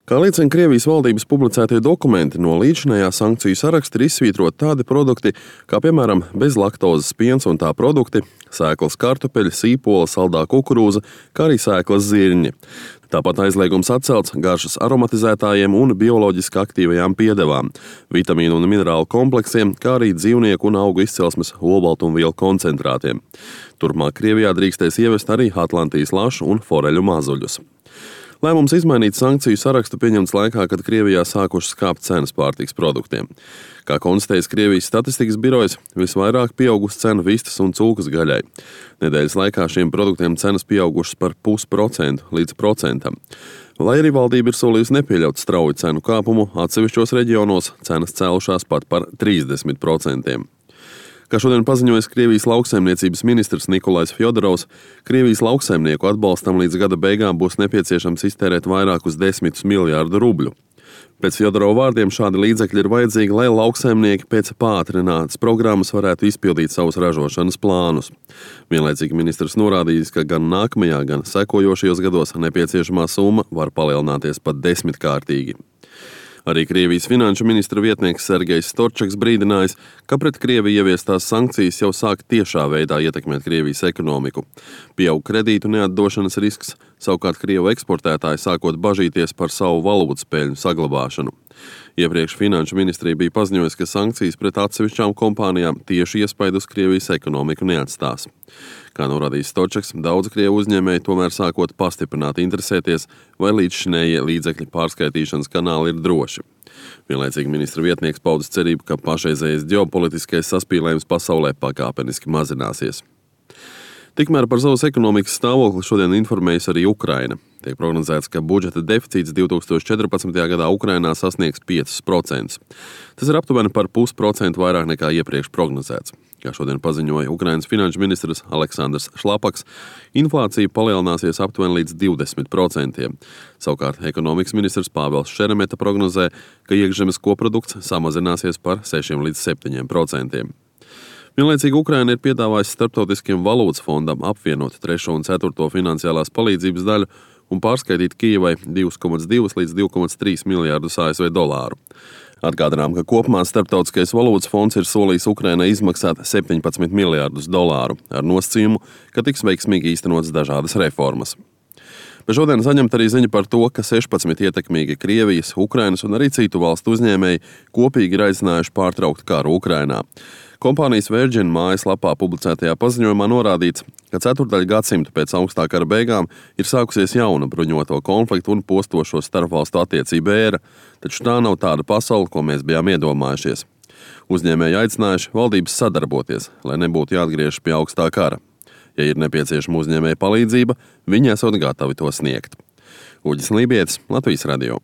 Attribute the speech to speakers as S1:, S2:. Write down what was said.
S1: Kā liecina Krievijas valdības publicētie dokumenti, no līdzinājā sankciju saraksta ir izsvītroti tādi produkti, kā piemēram bezlaktozes piens un tā produkti, sēklas kartupeļi, sīpola, saldā kukurūza, kā arī sēklas zirņi. Tāpat aizliegums atcelts garšas aromatizētājiem un bioloģiski aktīvajām piedevām, vitamīnu un minerālu kompleksiem, kā arī dzīvnieku un augu izcelsmes olbaltumvielu koncentrātiem. Turpmāk Krievijā drīkstēs ievest arī Atlantijas lašu un foreļu mazuļus. Lēmums izmainīt sankciju sarakstu pieņemts laikā, kad Krievijā sākušas kāpt cenas pārtikas produktiem. Kā konstatējis Krievijas statistikas birojas, visvairāk pieaugusi cena vistas un cūkas gaļai. Nedēļas laikā šiem produktiem cenas pieaugušas par 0,5% līdz 1%. Lai arī valdība ir solījusi nepieļaut strauju cenu kāpumu, atsevišķos reģionos cenas cēlušās pat par 30%. Kā šodien paziņojas Krievijas lauksaimniecības ministrs Nikolais Fjodorovs, Krievijas lauksaimnieku atbalstam līdz gada beigām būs nepieciešams iztērēt vairākus 10 miljārdu rubļu. Pēc Fjodorova vārdiem šādi līdzekļi ir vajadzīgi, lai lauksaimnieki pēc pātrinātas programmas varētu izpildīt savus ražošanas plānus. Vienlaicīgi ministrs norādījis, ka gan nākamajā, gan sekojošajos gados nepieciešamā summa var palielināties pat 10-kārtīgi. Arī Krievijas finanšu ministra vietnieks Sergejs Storčaks brīdinājis, ka pret Krieviju ieviestās sankcijas jau sāk tiešā veidā ietekmēt Krievijas ekonomiku. Pieaug kredītu neatdošanas risks, savukārt Krievu eksportētāji sākot bažīties par savu valūtas peļņu saglabāšanu. Iepriekš finanšu ministrija bija paziņojusi, ka sankcijas pret atsevišķām kompānijām tieši iespaidu uz Krievijas ekonomiku neatstās. Kā norādījis Storčaks, daudz Krievu uzņēmēji tomēr sākot pastiprināt interesēties, vai līdzšinējie līdzekļu pārskaitīšanas kanāli ir droši. Vienlaicīgi ministra vietnieks paudis cerību, ka pašreizējais ģeopolitiskais saspīlējums pasaulē pakāpeniski mazināsies. Tikmēr par savas ekonomikas stāvokli šodien informējusi arī Ukraina. Tiek prognozēts, ka budžeta deficīts 2014. gadā Ukrainā sasniegs 5%. Tas ir aptuveni par 0,5% vairāk nekā iepriekš prognozēts. Kā šodien paziņoja Ukrainas finanšu ministrs Aleksandrs Šlapaks, inflācija palielināsies aptuveni līdz 20%. Savukārt ekonomikas ministrs Pāvels Šeremeta prognozē, ka iekšzemes koprodukts samazināsies par 6 līdz 7%. Vienlaicīgi Ukraina ir piedāvājusi Starptautiskajam valūtas fondam apvienot 3. un 4. finansiālās palīdzības daļu un pārskaitīt Kijevai 2,2 līdz 2,3 miljārdus ASV dolāru. Atgādinām, ka kopumā Starptautiskais valūtas fonds ir solījis Ukrainai izmaksāt 17 miljārdus dolāru ar nosacījumu, ka tiks veiksmīgi īstenotas dažādas reformas. Bet šodien saņemt arī ziņa par to, ka 16 ietekmīgi Krievijas, Ukrainas un arī citu valstu uzņēmēji kopīgi ir aicinājuši pārtraukt karu Ukrainā. Kompānijas Virgin mājaslapā publicētajā paziņojumā norādīts, ka 4. gadsimta pēc augstā kara beigām ir sākusies jauna bruņoto konfliktu un postošo starpvalstu attiecību ēra, taču tā nav tāda pasaule, ko mēs bijām iedomājušies. Uzņēmēji aicinājuši valdības sadarboties, lai nebūtu jāatgriežas pie augstā kara. Ja ir nepieciešama uzņēmēja palīdzība, viņi esot gatavi to sniegt. Uģis Lībietis, Latvijas radio.